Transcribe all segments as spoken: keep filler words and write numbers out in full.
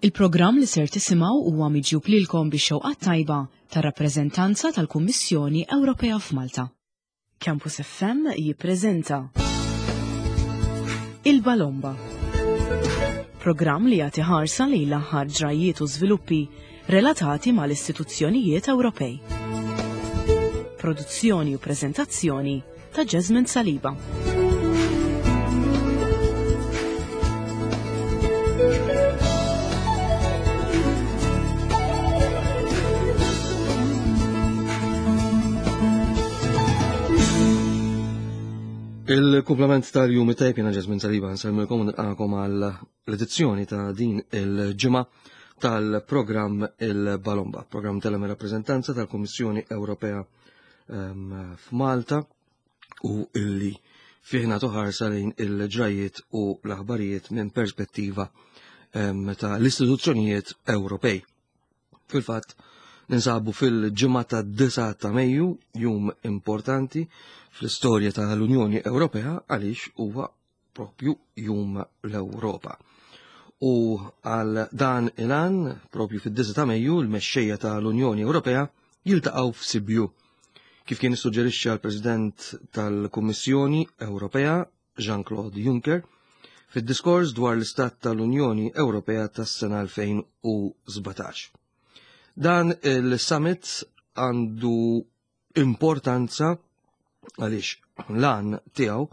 Il-programm li ser tisimgħu huwa miġjub lilkom bix-xewqa tajba tar-rappreżentanza tal-Kummissjoni Ewropea f'Malta. Campus F M jippreżenta Il-Balomba. Programm li jagħti ħarsa lejn l-aħħar ġrajiet u żviluppi relatati mal-istituzzjonijiet Ewropej. Produzzjoni u preżentazzjoni ta' Jasmine Saliba. Il-kumplament tal-jum it-tajb, jiena Jasmine Saliba, nsellmilkom u nilqakom għal l-edizzjoni ta' din il-ġimgħa tal-programm Il-Balomba, programm tal rappreżentanza tal-Kummissjoni Ewropea ehm, f'Malta u illi fih nagħtu ħarsa lejn il-ġrajiet u l-aħbarijiet minn perspettiva ehm, ta' l-istituzzjonijiet Ewropej. Fil-fatt, ninsabu fil-ġimgħa ta' disgħa ta' Mejju, jum importanti fl-istorja tal-Unjoni Ewropea għaliex huwa propju jum l-Ewropa. U għal dan il-għan, propju fid-disgħa ta' Mejju, l-mexxejja tal-Unjoni Ewropea jiltaqgħu f'Sibiu. Kif kien issuġġerixxa l-President tal-Kummissjoni Ewropea, Jean-Claude Juncker, fid-diskors dwar l-Istat tal-Unjoni Ewropea tas-sena elfejn u sbatax. Dan il-summit għandu importanza għaliex l-għan tiegħu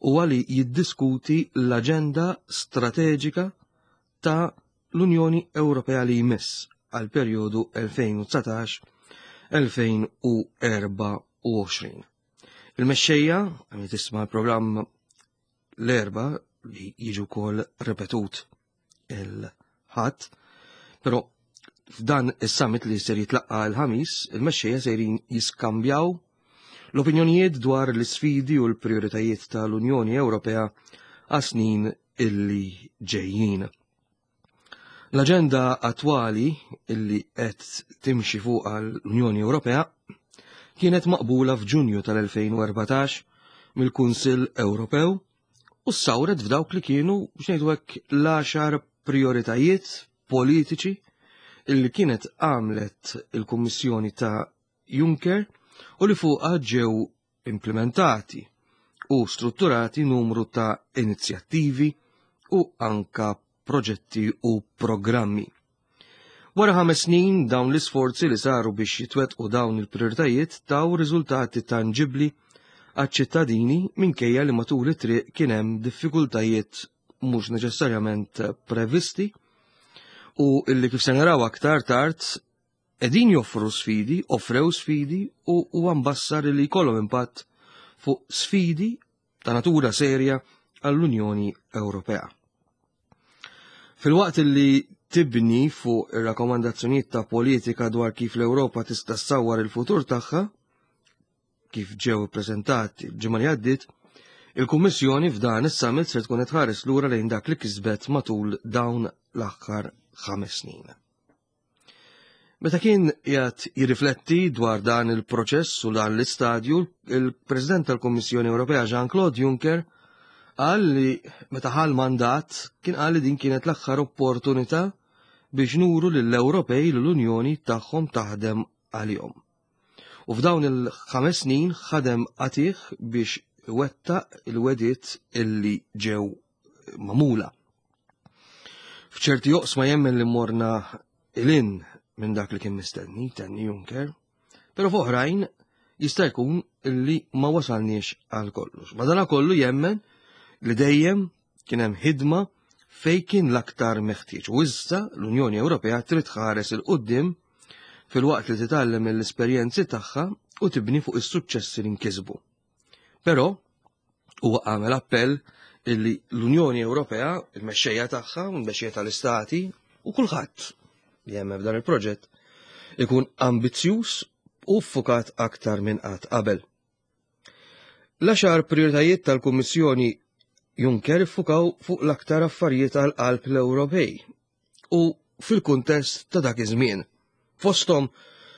huwa li jiddiskuti l-aġenda strateġika ta' l-Unjoni Ewropea li jmiss għal perjodu elfejn u dsatax elfejn u erbgħa u għoxrin. Il-mexxejja, għami tisma' l-programm l-Erbgħa li jiġu kol ripetut il-Ħadd, però f'dan is-summit li ser jitlaqqa l-Ħamis, il-mexxejja sejrin jiskambjaw l-opinjonijiet dwar l-isfidi u l-prioritajiet tal-Unjoni Ewropea għas-snin illi ġejjin. L-aġenda attwali illi qed timxi fuq l-Unjoni Ewropea kienet maqbula f'Ġunju tal-elfejn u erbatax mill-Kunsill Ewropew u sawret f'dawk li kienu, biex ngħidu hekk, l-għaxar prioritajiet politiċi illi kienet għamlet il-Kummissjoni ta' Juncker u li fuqha ġew implementati u strutturati numru ta' inizjattivi u anka proġetti u programmi. Wara ħames snin, dawn l-isforzi li saru biex jitwetqu dawn il-prioritajiet taw riżultati tangibli għaċ-ċittadini, minkejja li matul it-triq kien hemm diffikultajiet mhux neċessarjament previsti u illi, kif se naraw aktar tard, qegħdin joffru sfidi, offrew sfidi u huwa mbassar li jkollhom impatt fuq sfidi ta' natura serja għall-Unjoni Ewropea. Filwaqt li tibni fuq ir-rakkomandazzjonijiet ta' politika dwar kif l-Ewropa tista' ssawwar il-futur tagħha, kif ġew ippreżentati l-ġimgħa li għaddiet, il-Kummissjoni f'dan is-summit se tkun qed tħares lura lejn dak li kisbet matul dawn l-aħħar ħames snin. Meta kien qiegħed jirrifletti dwar dan il-proċess u dan l-istadju, il-President tal-Kummissjoni Ewropea Jean-Claude Juncker qal li meta ħa l-mandat kien qal li din kienet l-aħħar opportunità biex nuru lill-Ewropej li l-Unjoni tagħhom taħdem għalihom. U f'dawn il-ħames snin ħadem qatigħ biex iwettaq il-wegħdiet illi ġew magħmula. F'ċerti oqsma jemmen li morna lil hinn minn dak li kien mistenni, tenni Juncker, pero f'oħrajn jista' jkun illi ma wasalniex għal kollox. Madana kollu jemmen li dejjem kien hemm ħidma fej kien l-aktar meħtieġ. U issa l-Unjoni Ewropea trid tħares 'il quddiem filwaqt li titgħallem mill-esperjenzi tagħha u tibni fuq is-suċċessi li nkisbu. Però huwa għamel appell illi l-Unjoni Ewropea, il-mexxejja tagħha, il-mexxejja tal-istati u kulħadd li jemmen f'dan il-proġett ikun ambizzjuż u ffukat aktar minn qatt qabel. L-għaxar prioritajiet tal-Kummissjoni Juncker iffukaw fuq l-aktar affarijiet għal qalb l-Ewropej u fil-kuntest ta' dak iż-żmien. Fosthom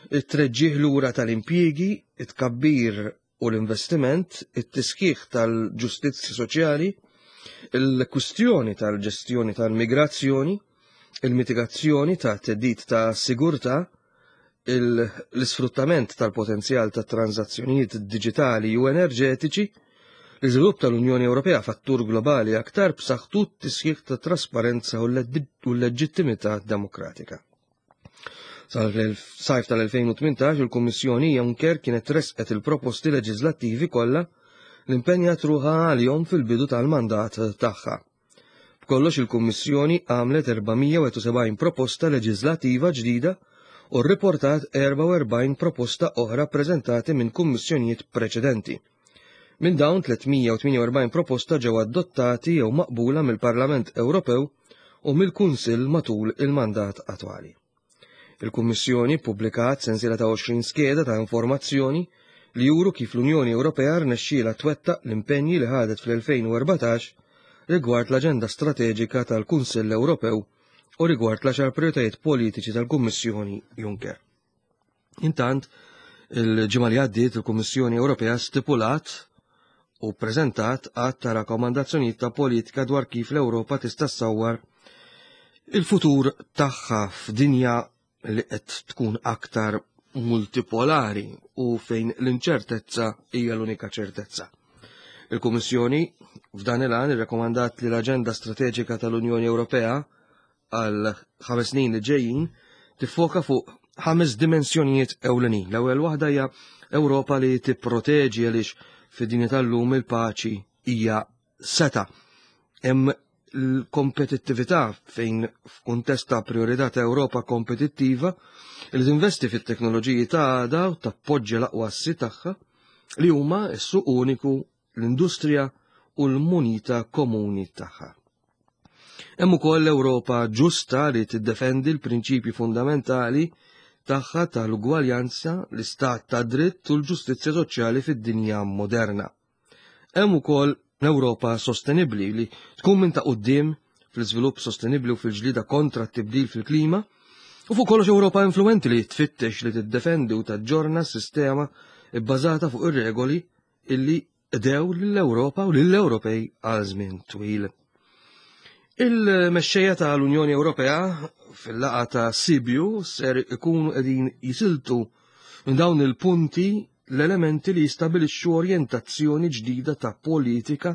it-treġġieħ lura tal-impjiegi, it-tkabbir u l-investiment, it-tisħiħ tal-ġustizzja soċjali, il-kwistjoni tal-ġestjoni tal-migrazzjoni, il-mitigazzjoni ta' theddid ta' sigurtà, l-isfruttament tal-potenzjal ta' transazzjonijiet diġitali u enerġetiċi, l-iżvilupp tal-Unjoni Ewropea f'attur globali aktar b'saħħtu, tisħiħ ta' trasparenza u l-leġittimità demokratika. Sal-sajf tal-elfejn u tmintax il-Kummissjoni Juncker kienet resqet il-proposti leġislattivi kollha li impenjat ruħha għalihom fil-bidu tal-mandat tagħha. B'kollox il-Kummissjoni għamlet erba' mija u sebgħin proposta leġislattiva ġdida u rriportat erbgħa u erbgħin proposta oħra preżentati minn kummissjonijiet preċedenti. Minn dawn, tliet mija u tmienja u erbgħin proposta ġew adottati jew maqbula mill-Parlament Ewropew u mill-Kunsill matul il-mandat attwali. Il-Kummissjoni ppubblikat sensiela ta' għoxrin skeda ta' informazzjoni li juru kif l-Unjoni Ewropea rnexxiela twettaq l-impenji li ħadet fl-elfejn u erbatax rigward l-Aġenda Strateġika tal-Kunsill Ewropew u rigward l-għaxar prioritajiet politiċi tal-Kummissjoni Juncker. Intant, il-ġimgħa li għaddiet il-Kummissjoni Ewropea stipulat u preżentat għadd ta' rakkomandazzjonijiet ta' politika dwar kif l-Ewropa tista' ssawwar il-futur tagħha f'dinja li qed tkun aktar multipolari u fejn l-inċertezza hija l-unika ċertezza. Il-Kummissjoni f'dan il-għan irrakkomandat li l-Aġenda Strateġika tal-Unjoni Ewropea għal ħames snin li ġejjin tiffoka fuq ħames dimensjonijiet ewlenin. L-ewwel waħda hija Ewropa li tipproteġi, għaliex fid-dinja tal-lum il-paċi hija seta. Hemm l-kompetittività, fejn f'kuntest ta' priorità ta' Ewropa kompetittiva li tinvesti fit-teknoloġiji ta' għada u tappoġġja l-aqwa assi tagħha, li huma s-suq uniku, l-industrija u l-munita komuni tagħha. Hemm ukoll l-Ewropa ġusta, li tiddefendi l-prinċipji fundamentali tagħha tal-ugwaljanza, l-istat ta' dritt u l-ġustizzja soċjali fid-dinja moderna. Hemm ukoll l-Ewropa sostenibbli, li tkun minn ta' quddiem fl-iżvilupp sostenibbli u fil-ġlida kontra t-tibdil fil-klima, u fuq kollox Ewropa influenti, li tfittex li tiddefendi u taġġorna s-sistema bbażata fuq ir-regoli illi qdew lill-Ewropa u lill-Ewropej għal żmien twil. Il-mexxejja tal-Unjoni Ewropea fil-laqgħa ta' Sibiu ser ikunu qegħdin jisiltu minn dawn il-punti l-elementi li jistabilixxu orjentazzjoni ġdida ta' politika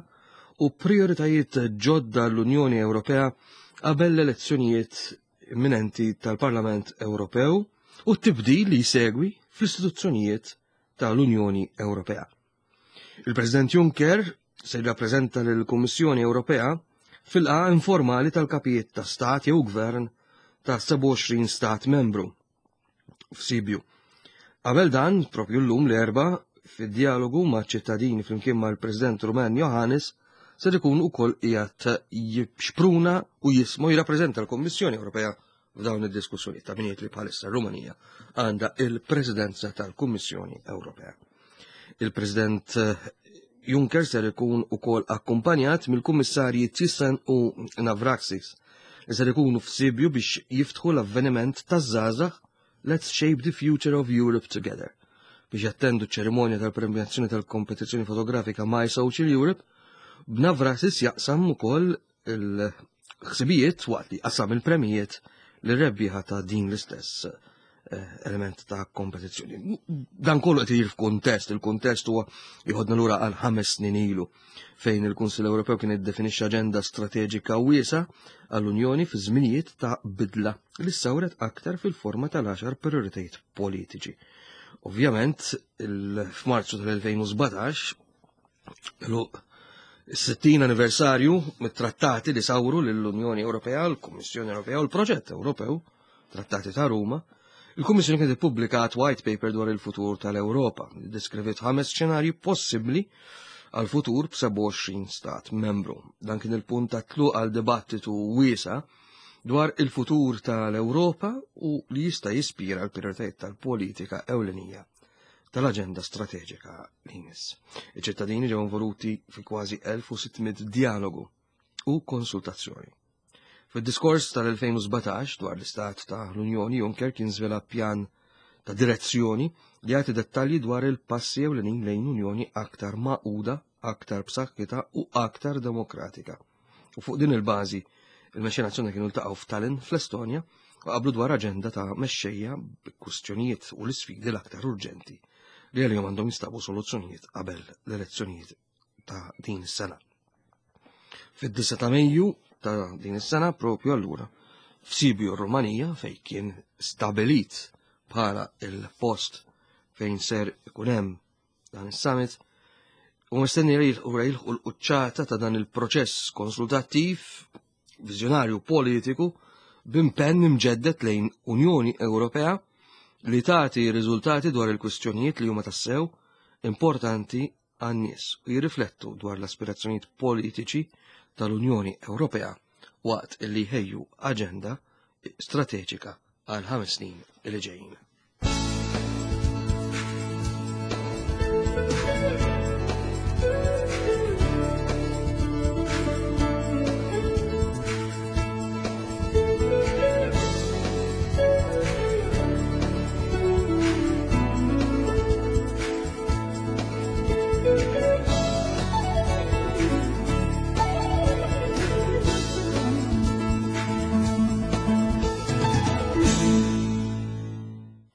u prioritajiet ġodda l-Unjoni Ewropea qabel l-elezzjonijiet imminenti tal-Parlament Ewropew u t-tibdil li jsegwi fl-istituzzjonijiet tal-Unjoni Ewropea. Il-President Juncker se jirrappreżenta lill-Kummissjoni Ewropea fil-laqgħa informali tal-kapijiet ta' stat jew gvern ta' sebgħa u għoxrin stat membru f'Sibiu. Qabel dan, propju llum l-Erbgħa, fid-dialogu ma' ċittadini flimkien mal-President Rumen Johannes, ser ikun ukoll qiegħed jixpruna u jismu jirrappreżenta l-Kummissjoni Ewropea f'dawn id-diskussjoni ta' min li bħalissa Rumanija għandha il-Presidenza tal-Kummissjoni Ewropea. Il-President Juncker ser ikun ukoll akkumpanjat mill-Kummissarji Thyssen u Navracsics, li ser ikunu f'Sibiu biex jiftħu l-avveniment taż-żgħażagħ Let's Shape the Future of Europe Together, biex jattendu ċerimonja tal-premjazzjoni tal-kompetizzjoni fotografika My Social Europe, b'Navracsics jaqsam ukoll il-ħsibijiet waqt li qasam il-premijiet li rebbieħa ta' din l-istess eh, element ta' kompetizzjoni. Dan kollu qed jiġri f'kuntest, il-kuntest huwa jieħodna lura għal ħames snin ilu, fejn il-Kunsill Ewropew kien iddefinixxa aġenda strateġika wiesa għall-Unjoni fi żminijiet ta' bidla li sawret aktar fil-forma tal-għaxar prioritajiet politiċi. Ovvjament, f'Marzu tal-elfejn u sbatax, is-sittin anniversarju mit-trattati li sawru l-Unjoni Ewropea, l-Kummissjoni Ewropea u l-Proġett Ewropew, Trattati ta' Ruma, il-Kummissjoni kienet ippubblikat white paper dwar il-futur tal-Ewropa, li deskriviet ħames xenarji possibbli għal futur b'sebgħa u għoxrin stat membru. Dan kien il-punt ta' tluq għal dibattitu wiesa dwar il-futur tal-Ewropa u li jista' jispira l-prioritajiet tal-politika ewlenija tal-aġenda strateġika li jmiss. Iċ-ċittadini ġew involuti fi kważi elf u sitt mitt dialogu u konsultazzjoni. Fid-diskors tal-elfejn u sbatax dwar l-istat ta' l-Unjoni, Juncker kien żvela pjan ta' direzzjoni li jagħti dettalji dwar il-passi ewlenin lejn Unjoni aktar magħquda, aktar b'saħħitha u aktar demokratika. U fuq din il-bażi, Il-mexxejja nazzjonali kienu ltaqgħu f'Tallinn fl-Estonja u qablu dwar aġenda ta' mexxejja b'kwistjonijiet u l-isfidi l-aktar urġenti li għalihom għandhom jistabu soluzzjonijiet qabel l-elezzjonijiet ta' din is-sena. Fid-disgħa ta' Mejju ta' din is-sena propju allura f'Sibiu Rumanija fejn kien stabilit bħala il-post fejn ser ikun hemm dan is-summit u mistenni li jilħqu jilħqu l-quċċata ta' dan il-proċess konsultattiv viżjonarju politiku b'impenn imġeddet lejn Unjoni Ewropea li tagħti riżultati dwar il-kwistjonijiet li huma tassew importanti għan-nies u jirriflettu dwar l-aspirazzjonijiet politiċi tal-Unjoni Ewropea waqt li jħejju aġenda strateġika għal ħames snin li ġejjin.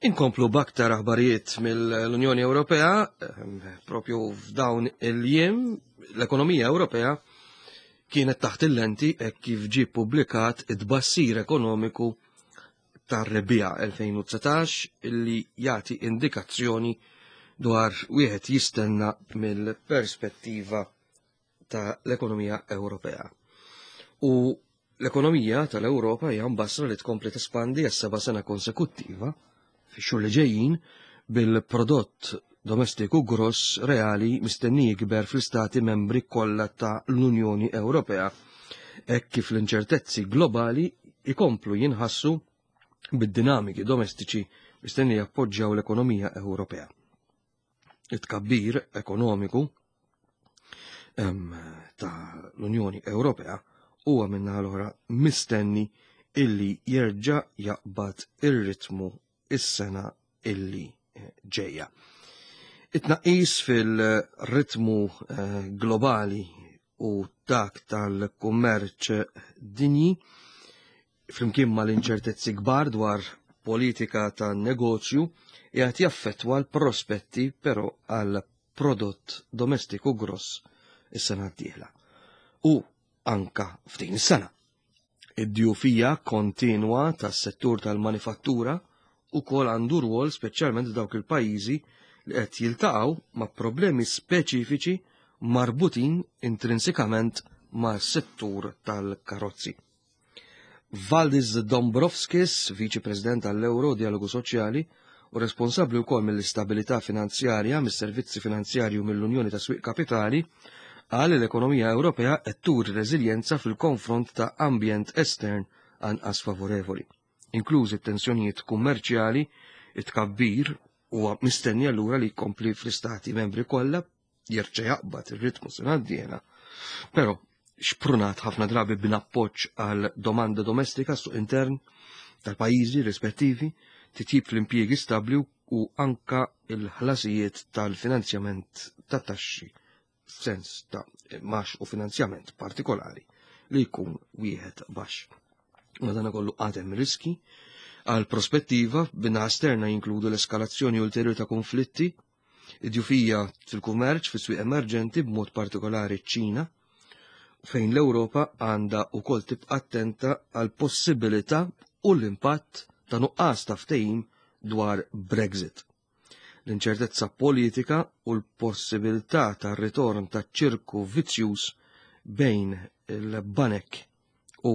Inkomplu b'aktar aħbarijiet mill-Unjoni Ewropea, propju f'dawn il-jiem, l-ekonomija Ewropea kienet taħt il-lenti hekk kif ġie ppubblikat it-tbassir ekonomiku tar-rebbiegħa elfejn u dsatax illi jagħti indikazzjoni dwar wieħed jistenna mill-perspettiva tal-ekonomija Ewropea. U l-ekonomija tal-Ewropa hija mbassra li tkompli tespandi għas seba' sena konsekuttiva fix-xhur li ġejjin bil-prodott domestiku gross reali mistenni jikber fl-istati membri kollha ta' l-Unjoni Ewropea, hekk kif l-inċertezzi globali ikomplu jinħassu bid-dinamiki domestiċi mistenni jappoġġjaw l-ekonomija Ewropea. It-tkabbir ekonomiku em, ta' l-Unjoni Ewropea huwa min-naħa l-oħra mistenni illi jerġa' jaqbad ir-ritmu is-sena illi ġejja. It-tnaqqis fil-ritmu eh, globali u dak tal-kummerċ dinji flimkien mal-inċertezzi kbar dwar politika ta' negozju qiegħed jaffettwa l-prospetti però għal prodott domestiku gross is-sena d-dieħla. U anka f'din is-sena. Id-djufija kontinwa tas-settur tal-manifattura ukoll għandu rwol speċjalment f'dawk il-pajjiżi li qed jiltaqgħu ma' problemi speċifiċi marbutin intrinsikament mas-settur tal-karozzi. Valdis Dombrovskis, Viċi President tal-Euro Dialogu Soċjali u responsabbli wkoll mill-istabilità finanzjarja, mis-servizzi finanzjarji u mill-Unjoni ta' Swieq Kapitali, qal li l-ekonomija Ewropea qed turi reżiljenza fil-konfront ta' ambjent estern anqas favorevoli, inklużi t-tensjonijiet kummerċjali, it-tkabbir huwa mistenni allura li jkompli fl-istati membri kollha jerġa' jaqbad ir-ritmu sena d-dieħla. Però xprunat ħafna drabi b'appoġġ għal domanda domestika suq intern tal-pajjiżi rispettivi, titjib fl-impjiegi stabbli u anka il-ħlasijiet tal-finanzjament ta' taxxi f'sens ta' max u finanzjament partikolari li jkun wieħed baxx. Madankollu għad hemm riski għal prospettiva b'naħa esterna jinkludu l-eskalazzjoni ulterjuri ta' konflitti, id-djufija fil-kummerċ fis-swieq emerġenti b'mod partikolari ċ-Ċina, fejn l-Ewropa għandha wkoll tibqa' attenta għal possibilità u l-impatt ta' nuqqas ta' ftehim dwar Brexit. L-inċertezza politika u l-possibilità ta' ritorn ta' ċirku vizzjuż bejn il-banek u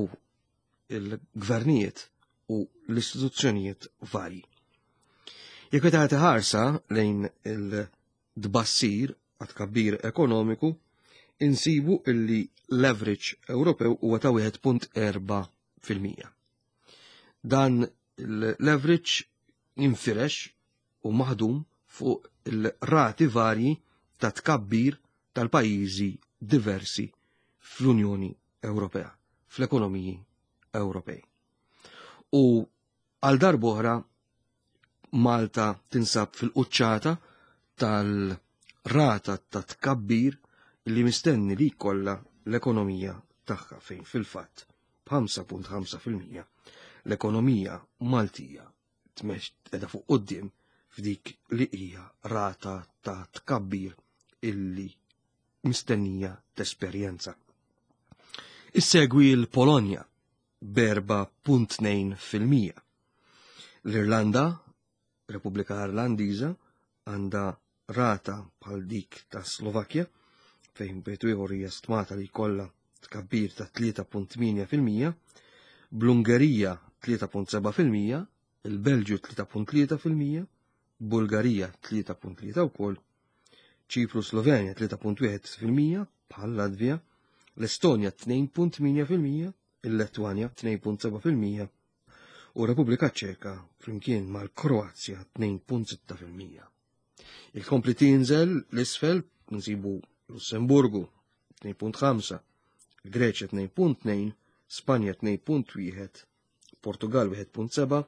il-gvernijiet u l-istituzzjonijiet varji. Jekk tagħti ħarsa lejn il-tbassir għat kabbir ekonomiku, insibu illi l-average Ewropew huwa ta' wieħed punt erba' fil-mija. Dan l-average jinfirex u maħdum fuq il-rati varji ta' tkabbir tal-pajjiżi diversi fl-Unjoni Ewropea, fl-ekonomiji Ewropej. U għal darb'oħra Malta tinsab fil-quċċata tal-rata ta' tkabbir li mistenni li jkollha l-ekonomija tagħha fejn fil-fatt b'ħamsa punt ħamsa fil-mija l-ekonomija Maltija tmex qiegħda fuq quddiem f'dik li hija rata ta' tkabbir illi mistennija tesperjenza. Issegwi l-Polonja b'erba' punt tnejn fil-mija. L-Irlanda, Repubblika Irlandiża, għandha rata bħal dik ta' Slovakkja, fejn bejt ieħor hija stmata li jkollha tkabbir ta' tlieta punt tmienja fil-mija, bl-Ungerija tlieta punt seba' fil-mija, il-Belġju tlieta punt tlieta fil-mija, Bulgarija tlieta punt tlieta wkoll, Ċipru Slovenja tlieta punt wieħed fil-mija bħal Latvija, l-Estonja tnejn punt tmienja fil-mija, il-Letwanja tnejn punt seba' fil-mija u Repubblika Ċeka flimkien mal-Kroazja tnejn punt sitta fil-mija. Il-kompli tinżel l-isfel nsibu Lussemburgu tnejn punt ħamsa, Greċja tnejn punt tnejn, Spanja tnejn punt wieħed, Portugal wieħed punt seba',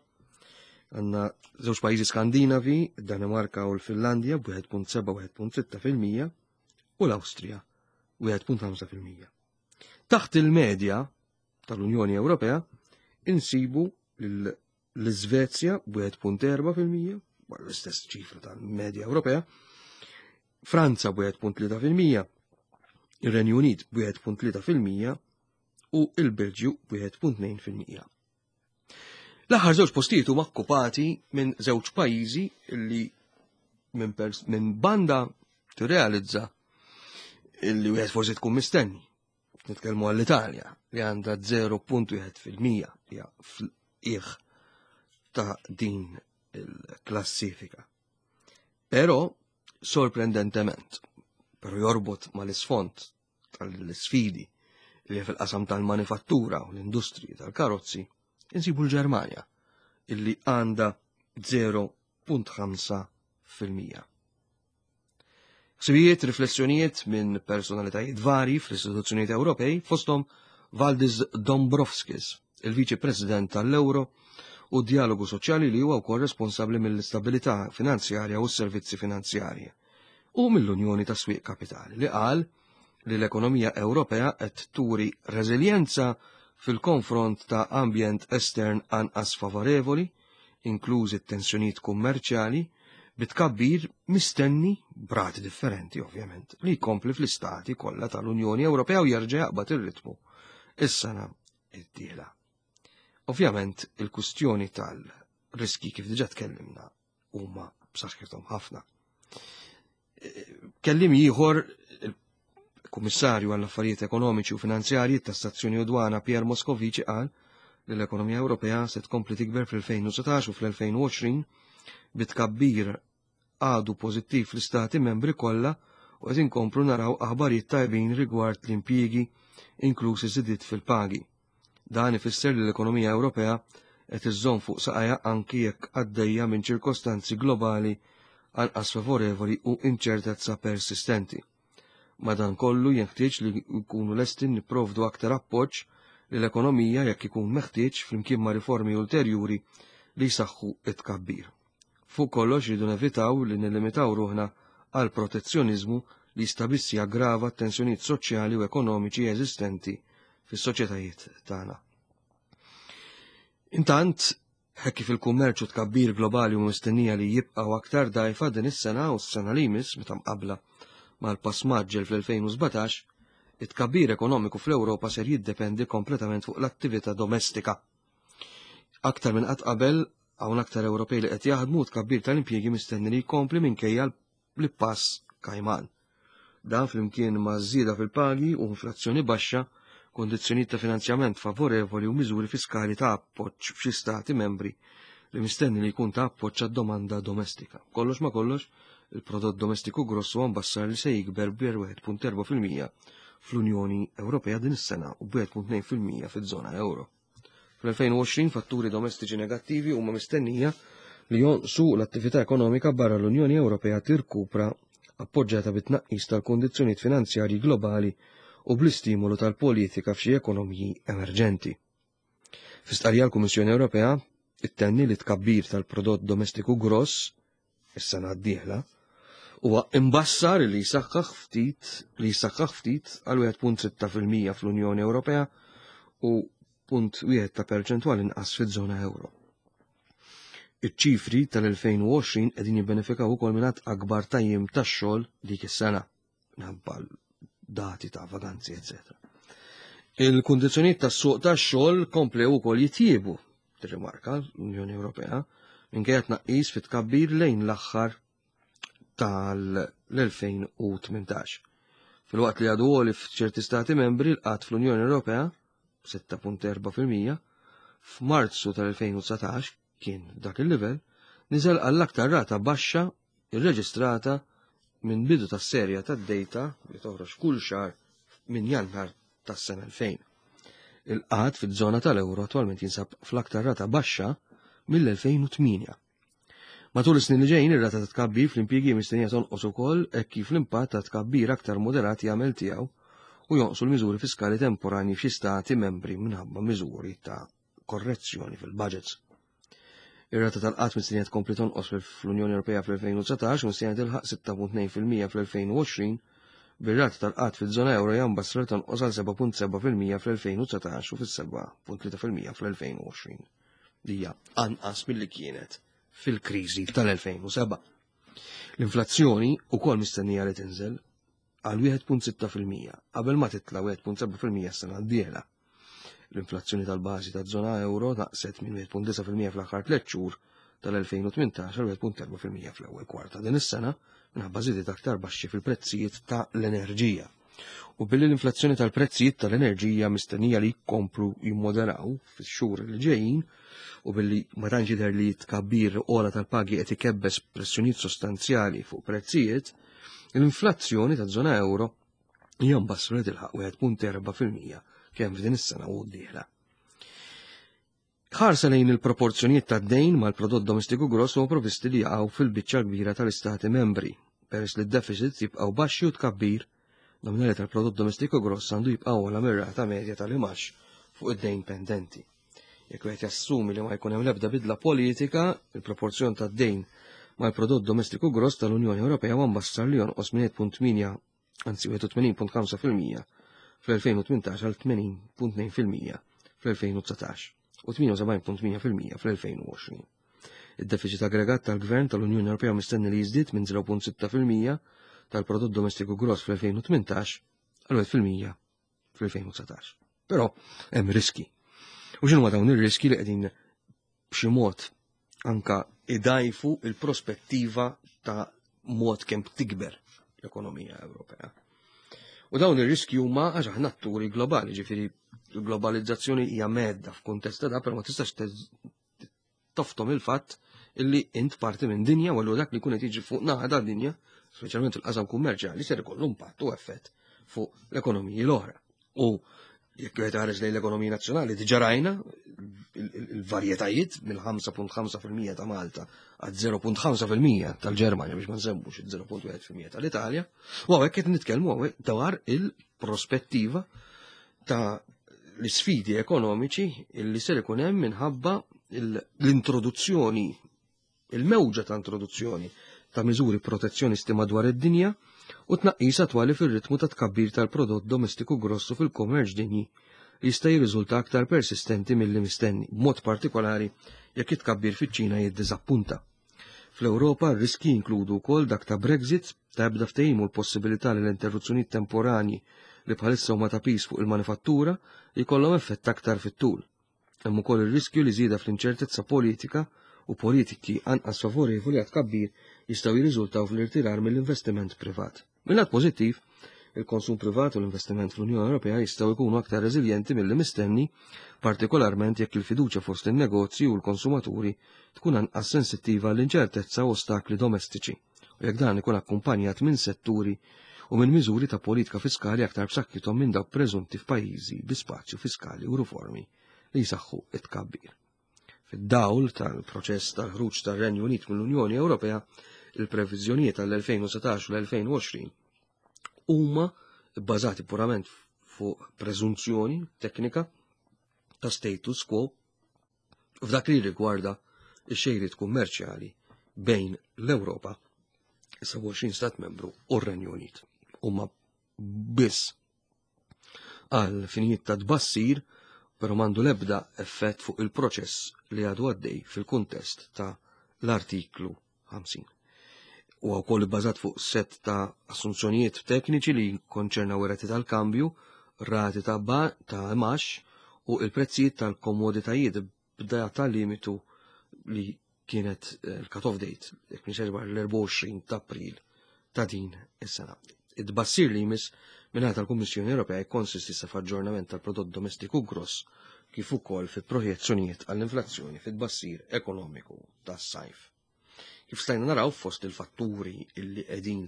għandna żewġ pajjiżi Skandinavi, Danimarka u l-Finlandja b'wieħed punt seba' u wieħed punt sitta fil-mija u l-Awstrija wieħed punt ħamsa fil-mija. Taħt il-medja tal-Unjoni Ewropea insibu l-Iżvezja b'wieħed punt erba' fil-mija, l-istess ċifra tal-medja Ewropea, Franza b'wieħed punt tlieta fil-mija, ir-Renju Unit b'wieħed punt tlieta fil-mija u l-Belġju b'wieħed punt tnejn fil-mija. L-aħħar żewġ postijiet huma okkupati minn żewġ pajjiżi li minn pers-, minn banda tirrealizza illi wieħed forsi tkun mistenni. Nitkellmu għall-Italja li għandha zero punt wieħed fil-mija hija fl-qiegħ ta' din il-klassifika. Però sorprendentement, però jorbot mal-isfond tal-sfidi li fil-qasam tal-manifattura u l-industriji tal-karozzi, insibu l-Ġermanja illi għandha zero punt ħamsa fil-mija. Ħsibijiet, riflessjonijiet minn personalitajiet vari fl-istituzzjonijiet Ewropej, fosthom Valdis Dombrovskis, il-Viċi President tal-Euro u Dialogu Soċjali li huwa wkoll responsabbli mill-istabilità finanzjarja u s-servizzi finanzjarji, u mill-Unjoni ta' Swieq Kapitali li qal li l-ekonomija Ewropea qed turi reżiljenza fil-konfront ta' ambjent estern anqas favorevoli, inklużi t-tensjonijiet kummerċjali, bitkabbir mistenni b'rati differenti ovvjament li jkompli fl-istati kollha tal-Unjoni Ewropea u jerġa' jaqbad ir-ritmu is-sena d-dieħla. Ovvjament il-kustjoni tal-riski kif diġà tkellimna huma b'saħħithom ħafna. Kellim ieħor il-Kummissarju għall-Affarijiet Ekonomiċi u Finanzjarji tas-Stazzjoni u Dwana Pierre Moscovici qal li l-ekonomija Ewropea se tkompli tikber fl-elfejn u setax u fl-elfejn u għoxrin bitkabbir għadu pożittiv fl-istati membri kollha u qed inkomplu naraw aħbarijiet tajbin rigward l-impjiegi inklużi żidiet fil-pagi. Dan ifisser li l-ekonomija Ewropea qed iżżomm fuq saqajha anki jekk għaddejja minn ċirkostanzi globali anqas favorevoli u inċertezza persistenti. Madankollu jenħtieġ li nkunu lesti nipprovdu aktar appoġġ lill-ekonomija jekk ikun meħtieġ flimkien ma' riformi ulterjuri li jsaħħu it-tkabbir. Fuq kollox rridu nevitaw li nillimitaw ruħna għal protezzjoniżmu li jista' biss jaggrava t-tensjonijiet soċjali u ekonomiċi eżistenti fis-soċjetajiet tagħna. Intant, hekk kif il-kummerċ u tkabbir globali u mistennija li jibqgħu aktar dgħajfa din is-sena u s-sena li jmiss meta mqabbla mal-pass maġġel fl-elfejn u sbatax, it-tkabbir ekonomiku fl-Ewropa ser jiddependi kompletament fuq l-attività domestika. Aktar minn qatt qabel hawn aktar Ewropej li qed jaħdmu tkabbir tal-impjiegi mistenni li jkompli minkejja l-pass kajman. Dan flimkien ma' żieda fil-pagi u inflazzjoni baxxa, kondizzjonijiet ta' finanzjament favorevoli u miżuri fiskali ta' appoġġ f'xi stati membri li mistenni li jkun ta' appoġġ għad-domanda domestika. Kollox ma' kollox, il-prodott domestiku gross huwa mbassar li se jikber bi wieħed punt erba' fil-mija fl-Unjoni Ewropea din is-sena u b'wieħed punt tnejn fil-mija fiż-żona euro. Fl-elfejn u għoxrin fatturi domestiċi negattivi huma mistennija li jonqsu l-attività ekonomika barra l-Unjoni Ewropea tirkupra appoġġjata bit-tnaqqis tal-kundizzjonijiet finanzjarji globali u bl-istimolu tal-politika f'xi ekonomiji emerġenti. Fi stqarrija l-Kummissjoni Ewropea ittenni li tkabbir tal-prodott domestiku gross is-sena d-dieħla huwa imbassar li jsaħħaħ ftit li jsaħħaħ ftit għal wieħed punt sitta fil-mija fl-Unjoni Ewropea u punt wieħed ta' perċentwal inqas fiż-żona euro. Iċ-ċifri tal-elfejn u għoxrin qegħdin jibbenefikaw ukoll minn għadd akbar ta' jiem tax-xogħol dik is-sena, minħabba dati ta' vaganzi, eċċetera. Il-kundizzjonijiet tas-suq tax-xogħol komplew ukoll jitjiebu, tirrimarka l-Unjoni Ewropea, minkejja tnaqqis fit-tkabbir lejn l-aħħar tal-elfejn u tmintax. Filwaqt li għadu għoli f'ċerti stati membri, l-qgħad fl-Unjoni Ewropea sitta punt erba' fil-mija f'Marzu tal-elfejn u dsatax kien dak il-livell, niżel għall-aktar rata baxxa irreġistrata minn bidu tas-serja tad-data li toħroġ kull xahar minn Jannar tas-sena elfejn. Il-qgħad fiż-żona tal-euro attwalment jinsab fl-aktar rata baxxa mill-elfejn u tmienja. Matul is-snin li ġejjin ir-rata ta' tkabbir fl-impjiegi mistennija tonqos ukoll hekk kif l-impatt ta' tkabbir aktar moderat jagħmel tiegħu u jonqsu l-miżuri fiskali temporanji f'xi stati membri minħabba miżuri ta' korrezzjoni fil-budgets. Ir-rata tal-qgħad mistennija tkompli tonqos fl-Unjoni Ewropea fl-elfejn u dsatax u mistennija tilħaq sitta punt tnejn fil-mija fl-elfejn u għoxrin, bir-rata tal-qgħad fiż-żona euro hija mbassra li tonqos għal seba' punt seba' fil-mija fl-elfejn u dsatax u fis-seba' punt tlieta fil-mija fl-elfejn u għoxrin. Li hija anqas milli kienet fil-kriżi tal-elfejn u seba'. L-inflazzjoni wkoll mistennija li tinżel għal wieħed punt sitta fil-mija qabel ma titla' wieħed punt seba' fil-mija s-sena d-dieħla. L-inflazzjoni tal-bażi taż-żona euro naqset minn wieħed punt disa' fil-mija fl-aħħar tliet xhur tal-elfejn u tmintax għal wieħed punt erba' fil-mija fl-ewwel kwarta din is-sena minħabba żidiet aktar baxxi fil-prezzijiet ta' l-enerġija. U billi l-inflazzjoni tal-prezzijiet tal-enerġija mistennija li jkomplu jimmoderaw fix-xhur li ġejjin u billi ma tantx jidher li tkabbir ogħla tal-pagi qed ikebbes pressjonijiet sostanzjali fuq prezzijiet, l-inflazzjoni taż-żona euro hija mbassra li tilħaq wieħed punt erba' fil-mija kemm f'din is-sena u d-dieħla. Ħarsa lejn il-proporzjonijiet tad-dejn mal-prodott domestiku gross huwa provvisti li jaqgħu fil-biċċa kbira tal-istati membri, peress li d-deficits jibqgħu baxxi u tkabbir nominali tal-prodott domestiku gross għandu jibqa' ogħla mir-rata medja tal-imax fuq id-dejn pendenti. Jekk wieħed jassumi li ma jkun hemm l-ebda bidla politika, il-proporzjon tad-dejn mal-prodott domestiku gross tal-Unjoni Ewropea huwa mbassar li jonqos minn wieħed punt tmienja, anzi wieħed u tmenin punt ħamsa fil-mija fl-elfejn u tmintax għal tmenin punt tnejn fil-mija fl-elfejn u dsatax u tmien u sebgħin punt tmienja fil-mija fl-elfejn u għoxrin. Id-deficit aggregat tal-Gvern tal-Unjoni Ewropea mistenni li jiżdied minn zero punt sitta fil-mija tal-prodott domestiku gross fl-elfejn u tmintax għal wieħed fil-mija fl-elfejn u dsatax. Però hemm riski. U x'inhuma dawn ir-riski li qegħdin b'xi mod anka idajfu il-prospettiva ta' mod kemm tikber l-ekonomija Ewropea. U dawn ir-riski huma għax aħna atturi globali, ġifieri l-globalizzazzjoni hija medda f'kuntest ta' da, però ma tistax tez-, toftom il-fatt illi int parti minn dinja u allura dak li jkun qed jiġri fuq naħa ta' dinja, speċjalment fil-qasam kummerċjali, ser ikollu impatt u effett fuq l-ekonomiji l-oħra. U jekk wieħed ħareġ lejn l-ekonomija nazzjonali, diġà rajna il-, il-, il-varjetajiet mill ħamsa punt ħamsa fil-mija ta' Malta għal zero punt ħamsa fil-mija tal-Ġermanja biex ma nsemmux il-zero punt wieħed fil-mija tal-Italja, u hawnhekk qed nitkellmu hawnhekk dwar il-prospettiva ta' l-isfidi ekonomiċi illi ser ikun hemm minħabba il-, l-introduzzjoni, il-mewġa ta' introduzzjoni ta' miżuri protezzjonisti madwar id-dinja u tnaqqis attwali fir-ritmu ta' tkabbir tal-prodott domestiku grossu fil-kummerċ dinji li jista' jirriżulta aktar persistenti milli mistenni, b'mod partikolari jekk it-tkabbir fiċ-Ċina jiddiżappunta. Fl-Ewropa r-riski jinkludu wkoll dak ta' Brexit, ta' ebda ftehim u l-possibilità li l-interruzzjonijiet temporanji li bħalissa huma ta' piż fuq il-manifattura jkollhom effett aktar fit-tul. Hemm ukoll ir-riskju li żieda fl-inċertezza politika u politiki anqas favorevoli għat tkabbir jistgħu jirriżultaw fl-irtirar mill-investiment privat. Mil-lat pożittiv, il-konsum privat u l-investiment fl-Unjoni Ewropea jistgħu jkunu aktar reżiljenti milli mistenni, partikolarment jekk il-fiduċja fost in-negozji u l-konsumaturi tkun anqas sensittiva għall-inċertezza u ostakli domestiċi, u jekk dan ikun akkumpanjat minn setturi u minn miżuri ta' politika fiskali aktar b'saħħithom minn dawk preżunti f'pajjiżi bi spazju fiskali u riformi li jsaħħu it-tkabbir. Fid-dawl tal-proċess tal-ħruġ tar-Renju Unit mill-Unjoni Ewropea, il-previżjonijiet tal-elfejn u setax u l-elfejn u għoxrin huma bbażati purament fuq preżunzjoni teknika ta' status quo f'dak li rigwarda x-xejriet kummerċjali bejn l-Ewropa, sebgħa u għoxrin stat membru u r-Renju Unit. Huma biss għal finijiet ta' tbassir però m'għandu l-ebda effett fuq il-proċess li għadu għaddej fil-kuntest ta' l-artiklu ħamsin. Huwa wkoll ibbażat fuq set ta' assunzjonijiet tekniċi li jikkonċernaw ir-rati tal-kambju, rati ta' ba ta' imax u il-prezzijiet tal-komoditajiet b'data limitu li kienet il-cut-off date, jekk mhix l-erbgħa u għoxrin ta' April ta' din is-sena. Id-bassir li jmiss mingħata tal-Kummissjoni Ewropea jikkonsisti sa f'aġġornament tal-prodott domestiku gross kif ukoll fi projezzjonijiet għall-inflazzjoni fit-tbassir ekonomiku tas-sajf. Kif stajna naraw fost il-fatturi illi qegħdin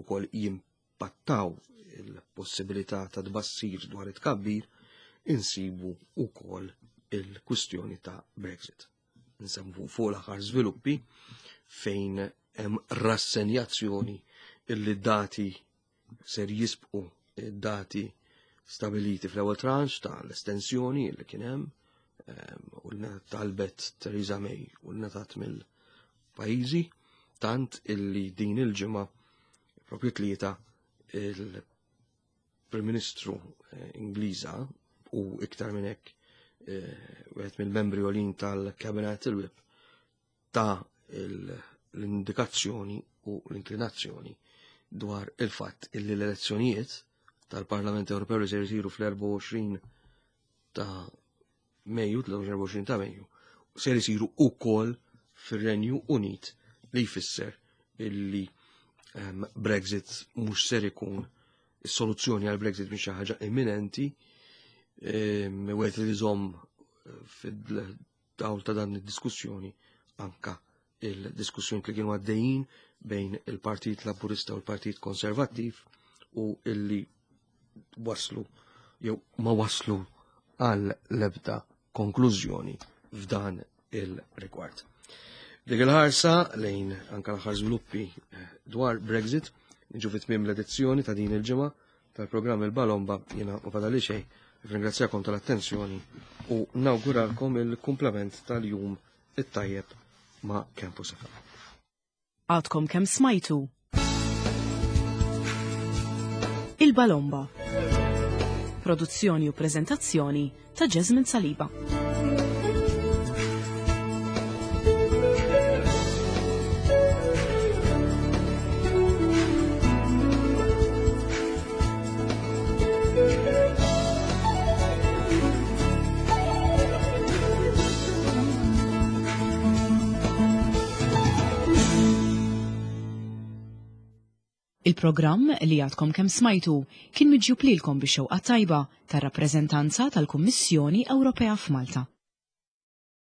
ukoll jimpattaw il-possibilità ta' tbassir dwar it-tkabbir, insibu ukoll il-kwistjoni ta' Brexit. Nsemmu fuq l-aħħar żviluppi fejn hemm rassenjazzjoni illi dati ser jisbqu dati stabiliti fl-ewwel tranche ta' l-estensjoni li kien hemm, ehm, u li talbet Theresa May u li ngħatat mill-pajjiżi, tant illi din il-ġimgħa propju tlieta il-Prim Ministru, eh, Ingliża u iktar minn hekk, eh, wieħed mill-membri għolin tal-Cabinet il-Whip ta' il-, l-indikazzjoni u l-inklinazzjoni dwar il-fatt illi l-elezzjonijiet tal-Parlament Ewropew li se jsiru fl-erbgħa u għoxrin ta' Mejju, tlieta u għoxrin ta' Mejju, se jsiru wkoll fir-Renju Unit, li jfisser illi, ehm, Brexit mhux ser ikun is-soluzzjoni għal Brexit mhix xi ħaġa imminenti, ehm, wieħed li jżomm fid-dawl ta' dan id-diskussjoni anka il-diskussjoni li kienu għaddejjin bejn il-Partit Laburista u l-Partit Konservattiv u illi waslu jew ma waslu għal l-ebda konklużjoni f'dan il-rigward. Dik il-ħarsa lejn anka l-aħħar żviluppi, eh, dwar Brexit, niġu fi tmiem l-edizzjoni ta' din il-ġimgħa tal-programm Il-Balomba. Jiena u fadali xejn, ringrazzjakom tal-attenzjoni u nawguralkom il-kumplament tal-jum it-tajjeb ma' Campus F M. Għadkom kemm smajtu Il-Balomba. Produzzjoni u prezentazzjoni ta' Jasmine Saliba. Il-programm li għadkom kemm smajtu kien miġjub lilkom bix-xewqa tajba tar-rappreżentanza tal-Kummissjoni Ewropea f'Malta.